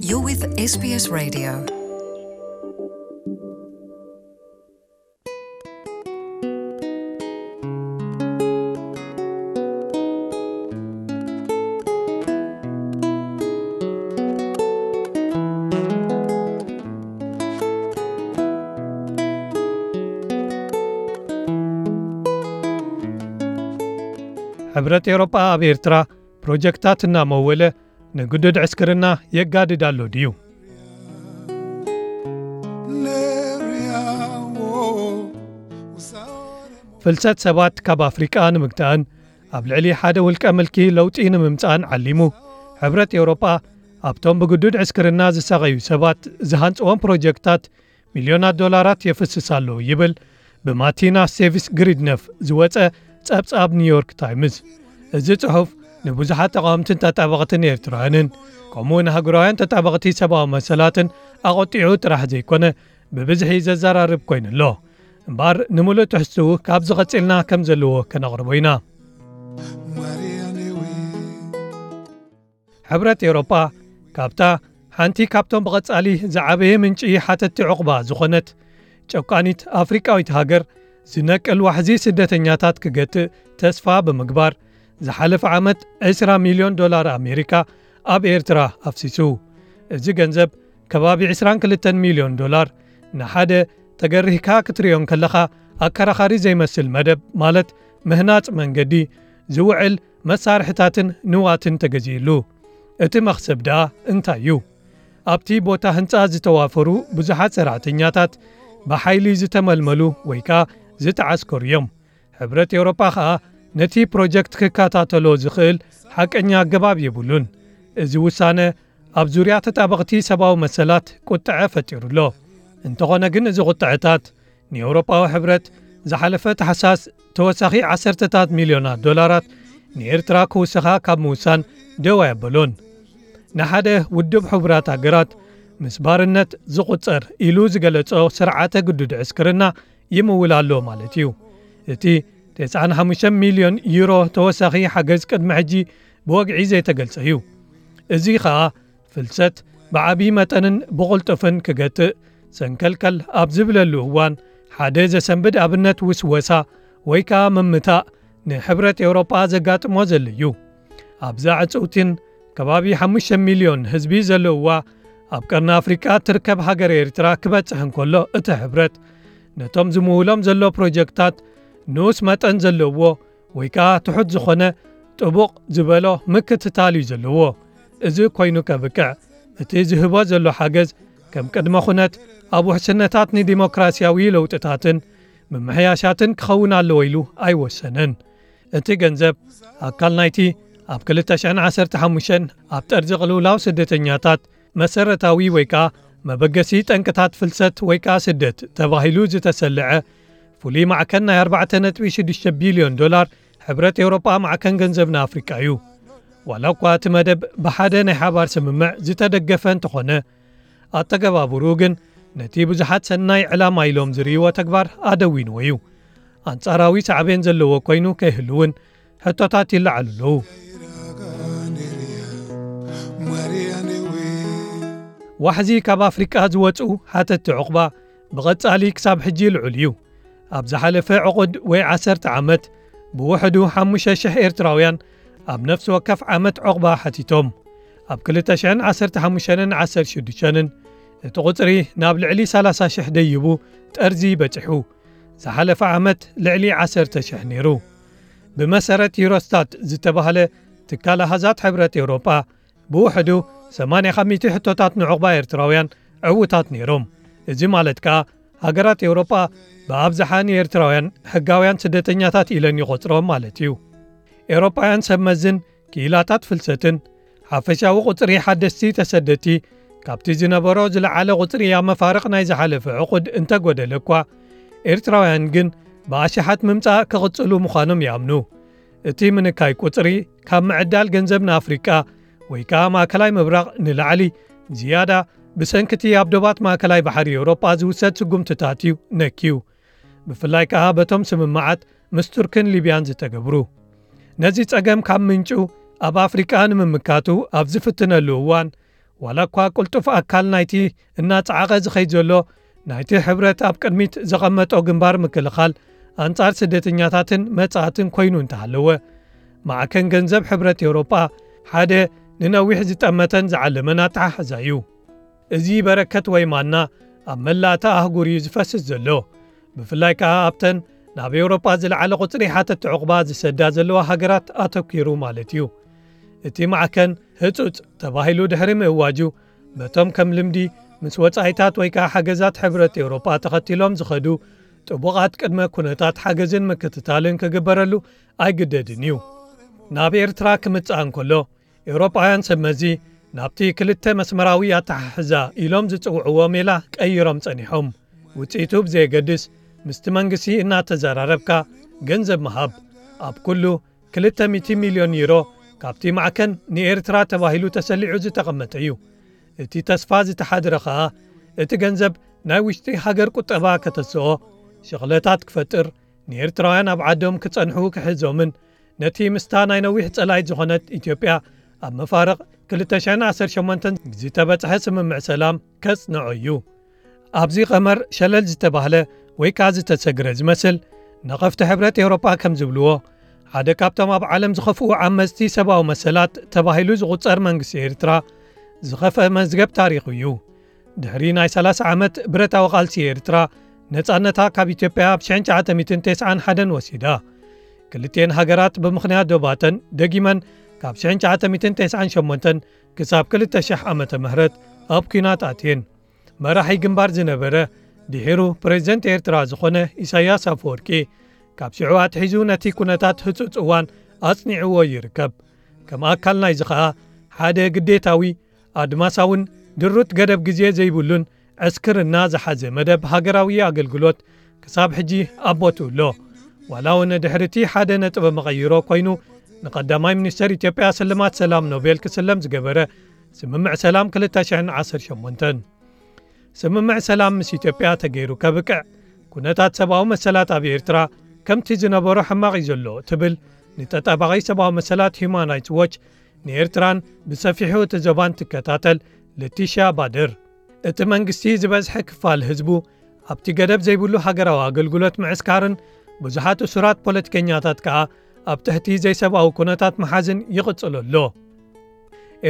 You're with S B S Radio. ሕብረት ኤውሮጳ ኣብ ኤርትራ ፕሮጀክታት እናመወለ ንግዱድ ዕስክርና የጋድድ ኣሎ ድዩ? ፍልሰት ሰባት ካብ ኣፍሪቃ ንምግታእን ኣብ ልዕሊ ሓደ ውልቀ ምልኪ ለውጢ ንምምጻእን ዓሊሙ፣ ሕብረት ኤውሮጳ ኣብቶም ብግዱድ ዕስክርና ዝሳቐዩ ሰባት ዝሃንጽዎም ፕሮጀክታት ሚልዮናት ዶላራት የፍስስ ኣሎ ይብል ብማቲና ሴቪስ ግሪድነፍ ዝወጸ ጸብጻብ ኒውዮርክ ታይምስ። እዚ ጽሑፍ ንብዙሓት ተቓወምትን ተጣበቕትን ኤርትራውያንን ከምኡ ንሃገራውያን ተጣበቕቲ ሰብኣዊ መሰላትን ኣቖጢዑ ጥራሕ ዘይኮነ ብብዝሒ ዘዘራርብ ኮይኑ ኣሎ። እምበኣር ንምሉእ ትሕዝትኡ ካብዚ ቐጺልና ከም ዘለዎ ከነቕርቦ ኢና። ሕብረት ኤውሮጳ ካብታ ሓንቲ ካብቶም ብቐጻሊ ዝዓበየ ምንጪ ሓተቲ ዑቕባ ዝኾነት ጨቋኒት ኣፍሪቃዊት ሃገር ዝነቅል ዋሕዚ ስደተኛታት ክገትእ ተስፋ ብምግባር ዝሓለፈ ዓመት ዕስራ ሚልዮን ዶላር ኣሜሪካ ኣብ ኤርትራ ኣፍሲሱ። እዚ ገንዘብ ከባቢ ዕስራን ክልተን ሚልዮን ዶላር ንሓደ ተገሪህካ ክትርእዮ እንከለኻ ኣከራኻሪ ዘይመስል መደብ ማለት ምህናጽ መንገዲ ዝውዕል መሳርሕታትን ንዋትን ተገዚእሉ። እቲ መኽሰብ ደኣ እንታይ እዩ? ኣብቲ ቦታ ህንጻ ዝተዋፈሩ ብዙሓት ሰራሕተኛታት ብሓይሊ ዝተመልመሉ ወይ ከኣ ዝተዓስከሩ እዮም። ሕብረት ኤውሮጳ ከኣ ነቲ ፕሮጀክት ክከታተሎ ዝኽእል ሓቀኛ ኣገባብ የብሉን። እዚ ውሳነ ኣብ ዙርያ ተጣበቕቲ ሰብኣዊ መሰላት ቁጥዐ ፈጢሩ ኣሎ። እንተኾነ ግን እዚ ቁጥዐታት ንኤውሮጳዊ ሕብረት ዝሓለፈ ታሕሳስ ተወሳኺ ዓሰርተታት ሚልዮናት ዶላራት ንኤርትራ ክውስኻ ካብ ምውሳን ደው ኣየበሎን። ንሓደ ውድብ ሕቡራት ሃገራት ምስ ባርነት ዝቑጸር ኢሉ ዝገለጾ ስርዓተ ግዱድ ዕስክርና ይምውል ኣሎ ማለት እዩ። እቲ ተስዓን ሓሙሽተን ሚልዮን ዩሮ ተወሳኺ ሓገዝ ቅድሚ ሕጂ ብወግዒ ዘይተገልጸ እዩ። እዚ ኸኣ ፍልሰት ብዓቢ መጠንን ብቕልጡፍን ክገትእ ሰንከልከል ኣብ ዝብለሉ እዋን ሓደ ዘሰንብድ ኣብነት ውስወሳ ወይ ከኣ ምምታእ ንሕብረት ኤውሮጳ ዘጋጥሞ ዘሎ እዩ። ኣብዛ ዕጽውቲን ከባቢ ሓሙሽተ ሚልዮን ህዝቢ ዘለውዋ ኣብ ቀርኒ ኣፍሪቃ ትርከብ ሃገር ኤርትራ ክበጽሕ እንከሎ እቲ ሕብረት ነቶም ዝምውሎም ዘሎ ፕሮጀክታት ንኡስ መጠን ዘለዎ ወይ ከኣ ትሑት ዝኾነ ጥቡቕ ዝበሎ ምክትታል እዩ ዘለዎ። እዚ ኮይኑ ከብቅዕ እቲ ዝህቦ ዘሎ ሓገዝ ከም ቅድመ ኩነት ኣብ ውሕስነታት ንዲሞክራሲያዊ ለውጥታትን ምምሕያሻትን ክኸውን ኣለዎ ኢሉ ኣይወሰነን። እቲ ገንዘብ ኣካል ናይቲ ኣብ ክልተ ሽሕን ዓሰርተ ሓሙሽተን ኣብ ጠርዚ ቅልውላው ስደተኛታት መሰረታዊ ወይ ከኣ መበገሲ ጠንቅታት ፍልሰት ወይ ከኣ ስደት ተባሂሉ ዝተሰልዐ ፍሉይ ማዕከን ናይ ኣርባዕተ ነጥቢ ሽዱሽተ ቢልዮን ዶላር ሕብረት ኤውሮጳ ማዕከን ገንዘብ ንኣፍሪቃ እዩ። ዋላ እኳ እቲ መደብ ብሓደ ናይ ሓባር ስምምዕ ዝተደገፈ እንተኾነ፣ ኣተገባብርኡ ግን ነቲ ብዙሓት ሰናይ ዕላማ ኢሎም ዝርእይዎ ተግባር ኣደዊንዎ እዩ። ኣንጻራዊ ሳዕቤን ዘለዎ ኮይኑ ከይህሉ እውን ሕቶታት ይለዓሉ ኣለዉ። ዋሕዚ ካብ ኣፍሪቃ ዝወጽኡ ሓተቲ ዑቕባ ብቐጻሊ ክሳብ ሕጂ ልዑል እዩ። ኣብ ዝሓለፈ ዕቑድ ወይ ዓሰርተ ዓመት ብውሕዱ ሓሙሽተ ሽሕ ኤርትራውያን ኣብ ነፍሲ ወከፍ ዓመት ዑቕባ ሓቲቶም። ኣብ ክልተ ሽሕን ዓሰርተ ሓሙሽተን ዓሰርተ ሽዱሽተን እቲ ቁጽሪ ናብ ልዕሊ ሰላሳ ሽሕ ደይቡ ጠርዚ በጺሑ። ዝሓለፈ ዓመት ልዕሊ ዓሰርተ ሽሕ ነይሩ። ብመሰረት ዩሮስታት ዝተባህለ ትካል ኣሃዛት ሕብረት ኤውሮጳ፣ ብውሕዱ ሰማንያ ካብ ሚእቲ ሕቶታት ንዑቕባ ኤርትራውያን ዕዉታት ነይሮም። እዚ ማለት ከኣ ሃገራት ኤውሮጳ ብኣብዝሓ ንኤርትራውያን ሕጋውያን ስደተኛታት ኢለን ይቖጽሮም ማለት እዩ። ኤውሮጳውያን ሰብ መዝን ክኢላታት ፍልሰትን ሓፈሻዊ ቁጽሪ ሓደስቲ ተሰደቲ ካብቲ ዝነበሮ ዝለዓለ ቁጽሪ ኣብ መፋርቕ ናይ ዝሓለፈ ዕቑድ እንተጎደለ እኳ፣ ኤርትራውያን ግን ብኣሽሓት ምምጻእ ክቕጽሉ ምዃኖም ይኣምኑ። እቲ ምንካይ ቁጽሪ ካብ ምዕዳል ገንዘብ ንኣፍሪቃ ወይ ከኣ ማእከላይ ምብራቕ ንላዕሊ ዝያዳ ብሰንኪ እቲ ኣብ ዶባት ማእከላይ ባሕሪ ኤውሮጳ ዝውሰድ ስጉምትታት እዩ ነክዩ። ብፍላይ ከኣ በቶም ስምምዓት ምስ ቱርክን ሊብያን ዝተገብሩ። ነዚ ጸገም ካብ ምንጩ ኣብ ኣፍሪቃ ንምምካቱ ኣብ ዝፍትነሉ እዋን፣ ዋላ እኳ ቅልጡፍ ኣካል ናይቲ እናጸዓቐ ዝኸይድ ዘሎ ናይቲ ሕብረት ኣብ ቅድሚት ዘቐመጦ ግንባር ምክልኻል ኣንጻር ስደተኛታትን መጻእትን ኮይኑ እንተሃለወ፣ ማዕከን ገንዘብ ሕብረት ኤውሮጳ ሓደ ንነዊሕ ዝጠመተን ዝዓለመን ኣተሓሕዛ እዩ። እዚ በረከት ወይ ማና ኣብ መላእታ ኣህጉር እዩ ዝፈስስ ዘሎ፣ ብፍላይ ከኣ ኣብተን ናብ ኤውሮጳ ዝለዓለ ቁጽሪ ሓተቲ ዕቑባ ዝሰዳ ዘለዋ ሃገራት ኣተኲሩ ማለት እዩ። እቲ ማዕከን ህጹጽ ተባሂሉ ድሕሪ ምእዋጁ፣ በቶም ከም ልምዲ ምስ ወጻኢታት ወይ ከኣ ሓገዛት ሕብረት ኤውሮጳ ተኸቲሎም ዝኸዱ ጥቡቓት ቅድመ ኩነታት ሓገዝን ምክትታልን ክግበረሉ ኣይግደድን እዩ። ናብ ኤርትራ ክምጽእ እንከሎ፣ ኤውሮጳውያን ሰብ መዚ ናብቲ ክልተ መስመራዊ ኣተሓሕዛ ኢሎም ዝጽውዕዎ ሜላ ቀይሮም ጸኒሖም። ውጽኢቱ ብዘየገድስ፣ ምስቲ መንግስቲ እናተዘራረብካ ገንዘብ ምሃብ፣ ኣብ ኩሉ ክልተ ሚእቲ ሚልዮን ዩሮ ካብቲ ማዕከን ንኤርትራ ተባሂሉ ተሰሊዑ ዝተቐመጠ እዩ። እቲ ተስፋ ዝተሓድረ ኸኣ፣ እቲ ገንዘብ ናይ ውሽጢ ሃገር ቁጠባ ከተስኦ፣ ሸቕለታት ክፈጥር፣ ንኤርትራውያን ኣብ ዓዶም ክጸንሑ ክሕዞምን፣ ነቲ ምስታ ናይ ነዊሕ ጸላኢት ዝኾነት ኢትዮጵያ ኣብ መፋርቕ ክልተ ሽሕን ዓሰርተ ሸሞንተን ዝተበጽሐ ስምምዕ ሰላም ከጽንዖ እዩ። ኣብዚ ቀመር ሸለል ዝተባህለ ወይ ከኣ ዝተሰግረ ዝመስል፣ ነቐፍቲ ሕብረት ኤውሮጳ ከም ዝብልዎ፣ ሓደ ካብቶም ኣብ ዓለም ዝኸፍኡ ዓመጽቲ ሰብኣዊ መሰላት ተባሂሉ ዝቑጸር መንግስቲ ኤርትራ፣ ዝኸፍአ መዝገብ ታሪኹ እዩ። ድሕሪ ናይ ሰላሳ ዓመት ብረታዊ ቃልሲ ኤርትራ፣ ነጻነታ ካብ ኢትዮጵያ ኣብ ሽሕን ትሽዓተ ሚእትን ተስዓን ሓደን ወሲዳ። ክልቲኤን ሃገራት ብምኽንያት ዶባተን ደጊመን ካብ ሽሕን ትሽዓተ ሚእትን ተስዓን ሸሞንተን ክሳብ ክልተ ሽሕ ዓመተ ምህረት ኣብ ኲናት ኣትየን። መራሒ ግንባር ዝነበረ፣ ድሒሩ ፕሬዝደንት ኤርትራ ዝኾነ ኢሳያስ ኣፈወርቂ፣ ካብ ሽዑ ኣትሒዙ ነቲ ኩነታት ህጹጽ እዋን ኣጽኒዕዎ ይርከብ። ከም ኣካል ናይዚ ኸኣ፣ ሓደ ግዴታዊ፣ ኣድማሳውን ድሩት ገደብ ግዜ ዘይብሉን ዕስክርና ዝሓዘ መደብ ሃገራዊ ኣገልግሎት ክሳብ ሕጂ ኣብ ቦትኡ ኣሎ። ዋላ እውን ድሕሪ እቲ ሓደ ነጥበ መቐይሮ ኮይኑ ንቀዳማይ ሚኒስተር ኢትዮጵያ ስልማት ሰላም ኖቤል ክስለም ዝገበረ ስምምዕ ሰላም ክልተ ሽሕን ዓሰርተ ሸሞንተን። ስምምዕ ሰላም ምስ ኢትዮጵያ ተገይሩ ከብቅዕ፣ ኩነታት ሰብኣዊ መሰላት ኣብ ኤርትራ ከምቲ ዝነበሮ ሕማቕ እዩ ዘሎ ትብል ንተጣባቒ ሰብኣዊ መሰላት ሂዩማን ራይትስ ዎች፣ ንኤርትራን ብሰፊሑ እቲ ዞባን ትከታተል ለቲሻ ባድር። እቲ መንግስቲ ዝበዝሐ ክፋል ህዝቡ ኣብቲ ገደብ ዘይብሉ ሃገራዊ ኣገልግሎት ምዕስካርን ብዙሓት እሱራት ፖለቲከኛታት ከኣ ኣብ ትሕቲ ዘይሰብኣዊ ኩነታት ምሓዝን ይቕጽሎ ኣሎ።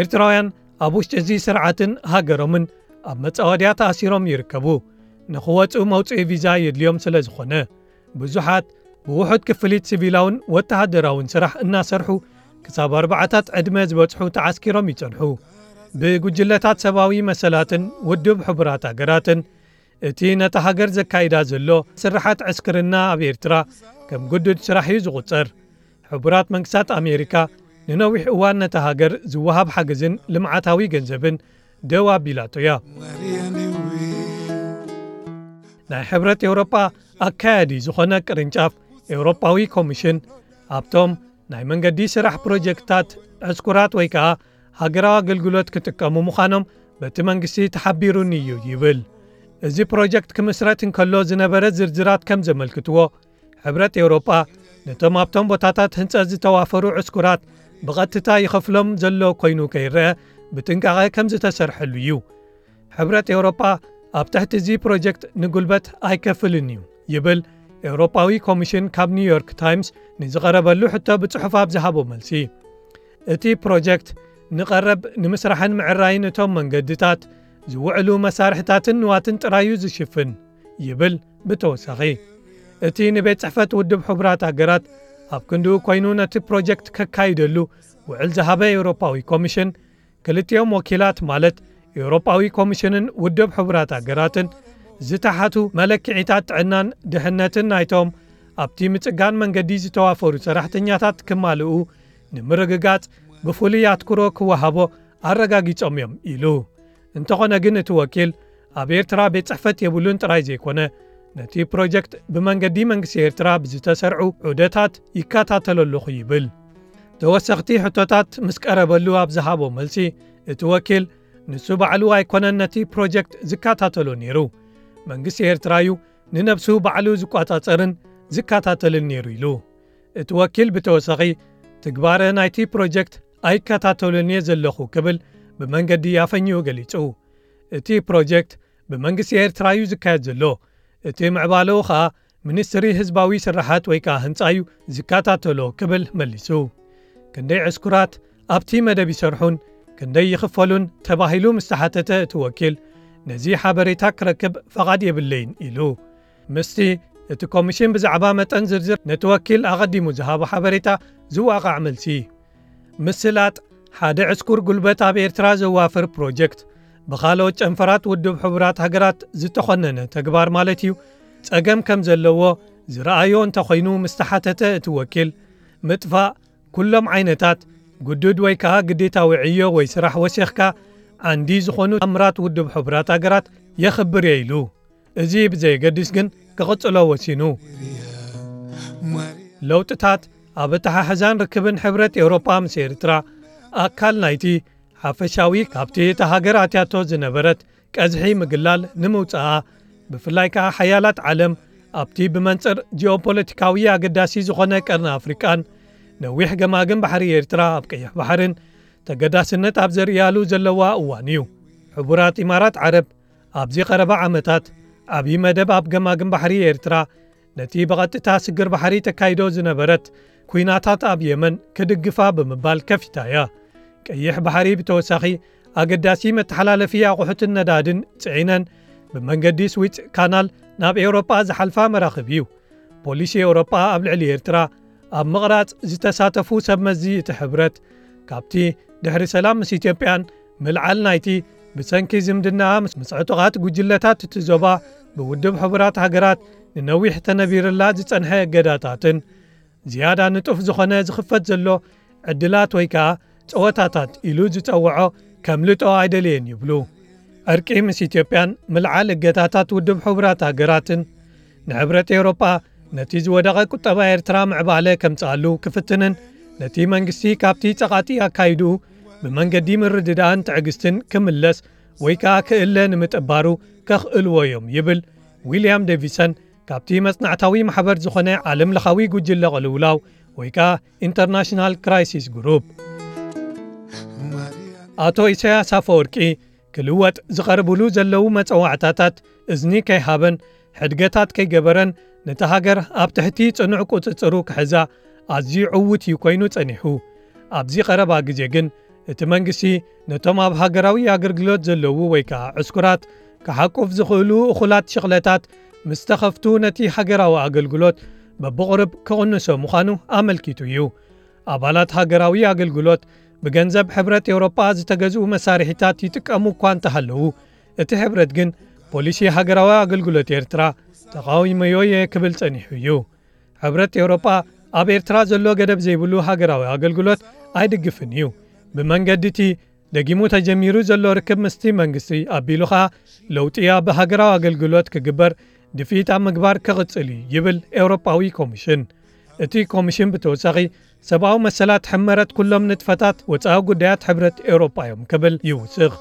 ኤርትራውያን ኣብ ውሽጢ እዚ ስርዓትን ሃገሮምን ኣብ መጻወድያ ተኣሲሮም ይርከቡ። ንኽወጹ መውጽኢ ቪዛ የድልዮም ስለ ዝኾነ፣ ብዙሓት ብውሑድ ክፍሊት ሲቪላውን ወተሃደራውን ስራሕ እናሰርሑ ክሳብ ኣርባዓታት ዕድመ ዝበጽሑ ተዓስኪሮም ይጸንሑ። ብጉጅለታት ሰብኣዊ መሰላትን ውድብ ሕቡራት ሃገራትን፣ እቲ ነታ ሃገር ዘካይዳ ዘሎ ስርሓት ዕስክርና ኣብ ኤርትራ ከም ግዱድ ስራሕ እዩ ዝቑጸር። ሕቡራት መንግስታት ኣሜሪካ ንነዊሕ እዋን ነታ ሃገር ዝወሃብ ሓገዝን ልምዓታዊ ገንዘብን ደው ኣቢላቶ እያ። ናይ ሕብረት ኤውሮጳ ኣካያዲ ዝኾነ ቅርንጫፍ ኤውሮጳዊ ኮሚሽን፣ ኣብቶም ናይ መንገዲ ስራሕ ፕሮጀክትታት ዕስኩራት ወይ ከኣ ሃገራዊ ኣገልግሎት ክጥቀሙ ምዃኖም በቲ መንግስቲ ተሓቢሩኒ እዩ ይብል። እዚ ፕሮጀክት ክምስረት እንከሎ ዝነበረ ዝርዝራት ከም ዘመልክትዎ፣ ሕብረት ኤውሮጳ ነቶም ኣብቶም ቦታታት ህንጸት ዝተዋፈሩ ዕስኩራት ብቐጥታ ይኸፍሎም ዘሎ ኮይኑ ከይረአ ብጥንቃቐ ከም ዝተሰርሐሉ እዩ። ሕብረት ኤውሮጳ ኣብ ትሕቲ እዚ ፕሮጀክት ንጉልበት ኣይከፍልን እዩ ይብል ኤውሮጳዊ ኮሚሽን ካብ ኒውዮርክ ታይምስ ንዝቐረበሉ ሕቶ ብጽሑፍ ኣብ ዝሃቦ መልሲ። እቲ ፕሮጀክት ንቐረብ ንምስራሕን ምዕራይን እቶም መንገድታት ዝውዕሉ መሳርሕታትን ንዋትን ጥራይ እዩ ዝሽፍን ይብል። ብተወሳኺ፣ እቲ ንቤት ጽሕፈት ውድብ ሕቡራት ሃገራት ኣብ ክንድኡ ኮይኑ ነቲ ፕሮጀክት ከካይደሉ ውዕል ዝሃበ ኤውሮጳዊ ኮሚሽን፣ ክልቲኦም ወኪላት ማለት ኤውሮጳዊ ኮሚሽንን ውድብ ሕቡራት ሃገራትን ዝተሓቱ መለክዒታት ጥዕናን ድሕነትን ናይቶም ኣብቲ ምጽጋን መንገዲ ዝተዋፈሩ ሰራሕተኛታት ክማልኡ ንምርግጋጽ ብፍሉይ ኣትኩሮ ክወሃቦ ኣረጋጊጾም እዮም ኢሉ። እንተኾነ ግን እቲ ወኪል ኣብ ኤርትራ ቤት ጽሕፈት የብሉን ጥራይ ዘይኮነ፣ ነቲ ፕሮጀክት ብመንገዲ መንግስቲ ኤርትራ ብዝተሰርዑ ዑደታት ይከታተሎ ኣለኹ ይብል። ተወሰኽቲ ሕቶታት ምስ ቀረበሉ ኣብ ዝሃቦ መልሲ፣ እቲ ወኪል ንሱ ባዕሉ ኣይኮነን ነቲ ፕሮጀክት ዝከታተሎ ነይሩ። መንግስቲ ኤርትራ እዩ ንነብሱ ባዕሉ ዝቆጻጸርን ዝከታተልን ነይሩ ኢሉ። እቲ ወኪል ብተወሳኺ ትግባረ ናይቲ ፕሮጀክት ኣይከታተሉን እየ ዘለኹ ክብል ብመንገዲ ኣፈንዩ ገሊጹ። እቲ ፕሮጀክት ብመንግስቲ ኤርትራ እዩ ዝካየድ ዘሎ። እቲ ምዕባለኡ ኸኣ ሚኒስትሪ ህዝባዊ ስራሓት ወይ ከኣ ህንጻ እዩ ዝከታተሎ ክብል መሊሱ። ክንደይ ዕስኩራት ኣብቲ መደብ ይሰርሑን ክንደይ ይኽፈሉን ተባሂሉ ምስ ተሓተተ እቲ ወኪል፣ ነዚ ሓበሬታ ክረክብ ፈቓድ የብለይን ኢሉ። ምስቲ እቲ ኮሚሽን ብዛዕባ መጠን ዝርዝር ነቲ ወኪል ኣቐዲሙ ዝሃቦ ሓበሬታ ዝዋቓዕ መልሲ። ምስላጥ ሓደ ዕስኩር ጉልበት ኣብ ኤርትራ ዘዋፍር ፕሮጀክት ብኻልኦት ጨንፈራት ውድብ ሕቡራት ሃገራት ዝተኾነነ ተግባር ማለት እዩ ጸገም ከም ዘለዎ ዝረኣዮ እንተኾይኑ ምስ ተሓተተ እቲ ወኪል፣ ምጥፋእ ኩሎም ዓይነታት ግዱድ ወይ ከኣ ግዴታዊ ዕዮ ወይ ስራሕ ወሲኽካ ዓንዲ ዝኾኑ ኣምራት ውድብ ሕቡራት ሃገራት የኽብር እየ ኢሉ። እዚ ብዘየገድስ ግን ክቕጽሎ ወሲኑ። ለውጥታት ኣብ ኣተሓሕዛን ርክብን ሕብረት ኤውሮጳ ምስ ኤርትራ ኣካል ናይቲ ሓፈሻዊ ካብቲ እታ ሃገር ኣትያቶ ዝነበረት ቀዝሒ ምግላል ንምውጻኣ፣ ብፍላይ ከኣ ሓያላት ዓለም ኣብቲ ብመንጽር ጂኦፖለቲካዊ ኣገዳሲ ዝኾነ ቀርኒ ኣፍሪቃን ነዊሕ ገማግም ባሕሪ ኤርትራ ኣብ ቀይሕ ባሕርን ተገዳስነት ኣብ ዘርእያሉ ዘለዋ እዋን እዩ። ሕቡራት ኢማራት ዓረብ ኣብዚ ቀረባ ዓመታት ዓብዪ መደብ ኣብ ገማግም ባሕሪ ኤርትራ ነቲ ብቐጥታ ስግር ባሕሪ ተካይዶ ዝነበረት ኲናታት ኣብ የመን ክድግፋ ብምባል ከፊታ እያ። ቀይሕ ባሕሪ ብተወሳኺ ኣገዳሲ መተሓላለፊ ኣቑሑትን ነዳድን ጽዒነን ብመንገዲ ስዊዝ ካናል ናብ ኤውሮጳ ዝሓልፋ መራኽብ እዩ። ፖሊሲ ኤውሮጳ ኣብ ልዕሊ ኤርትራ ኣብ ምቕራጽ ዝተሳተፉ ሰብ መዚ እቲ ሕብረት፣ ካብቲ ድሕሪ ሰላም ምስ ኢትዮጵያን ምልዓል ናይቲ ብሰንኪ ዝምድናኣ ምስ ምስ ዕጡቓት ጉጅለታት እቲ ዞባ ብውድብ ሕቡራት ሃገራት ንነዊሕ ተነቢርላ ዝጸንሐ እገዳታትን ዝያዳ ንጡፍ ዝኾነ ዝኽፈት ዘሎ ዕድላት ወይ ከኣ ጸወታታት ኢሉ ዝጸውዖ ከምልጦ ኣይደለየን ይብሉ። ዕርቂ ምስ ኢትዮጵያን ምልዓል እገዳታት ውድብ ሕቡራት ሃገራትን ንሕብረት ኤውሮጳ ነቲ ዝወደቐ ቁጠባ ኤርትራ ምዕባለ ከምጽኣሉ ክፍትንን ነቲ መንግስቲ ካብቲ ጸቓጢ ኣካይድኡ ብመንገዲ ምርድዳእን ትዕግስትን ክምለስ ወይ ከኣ ክእለ ንምጥባሩ ከኽእልዎ እዮም ይብል ዊልያም ዴቪሰን ካብቲ መጽናዕታዊ ማሕበር ዝኾነ ዓለም ለኻዊ ጉጅለ ቅልውላው ወይ ከኣ ኢንተርናሽናል ክራይሲስ ግሩፕ። ኣቶ ኢሳያስ ኣፈወርቂ ክልወጥ ዝቐርብሉ ዘለዉ መጸዋዕታታት እዝኒ ከይሃበን ሕድገታት ከይገበረን ነታ ሃገር ኣብ ትሕቲ ጽኑዕ ቁጽጽሩ ክሕዛ ኣዝዩ ዕዉት እዩ ኮይኑ ጸኒሑ። ኣብዚ ቀረባ ግዜ ግን እቲ መንግስቲ ነቶም ኣብ ሃገራዊ ኣገልግሎት ዘለዉ ወይ ከኣ ዕስኩራት ክሓቁፍ ዝኽእሉ እኹላት ሽቕለታት ምስ ተኸፍቱ ነቲ ሃገራዊ ኣገልግሎት በብቑርብ ክቕንሶ ምዃኑ ኣመልኪቱ እዩ። ኣባላት ሃገራዊ ኣገልግሎት ብገንዘብ ሕብረት ኤውሮጳ ዝተገዝኡ መሳርሒታት ይጥቀሙ እኳ እንተሃለዉ፣ እቲ ሕብረት ግን ፖሊሲ ሃገራዊ ኣገልግሎት ኤርትራ ተቓዊመዮ እየ ክብል ጸኒሑ እዩ። ሕብረት ኤውሮጳ ኣብ ኤርትራ ዘሎ ገደብ ዘይብሉ ሃገራዊ ኣገልግሎት ኣይድግፍን እዩ። ብመንገዲ እቲ ደጊሙ ተጀሚሩ ዘሎ ርክብ ምስቲ መንግስቲ ኣቢሉ ኸኣ ለውጢ ኣብ ሃገራዊ ኣገልግሎት ክግበር ድፍኢት ኣብ ምግባር ክቕጽል እዩ ይብል ኤውሮጳዊ ኮሚሽን። እቲ ኮሚሽን ብተወሳኺ ሰብኣዊ መሰላት ሕመረት ኩሎም ንጥፈታት ወጻኢ ጉዳያት ሕብረት ኤውሮጳ እዮም ክብል ይውስኽ።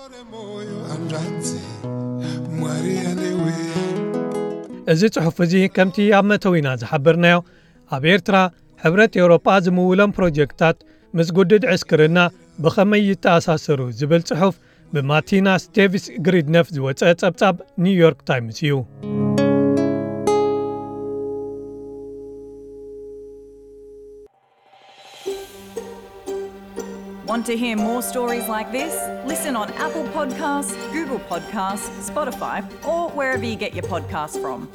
እዚ ጽሑፍ እዚ ከምቲ ኣብ መተዊና ዝሓበርናዮ ኣብ ኤርትራ ሕብረት ኤውሮጳ ዝምውሎም ፕሮጀክታት ምስ ጉድድ ዕስክርና ብኸመይ ይተኣሳሰሩ ዝብል ጽሑፍ ብማቲና ስቴቪስ ግሪድነፍ ዝወጸ ጸብጻብ ኒውዮርክ ታይምስ እዩ። Want to hear more stories like this? Listen on Apple Podcasts, Google Podcasts, Spotify, or wherever you get your podcasts from.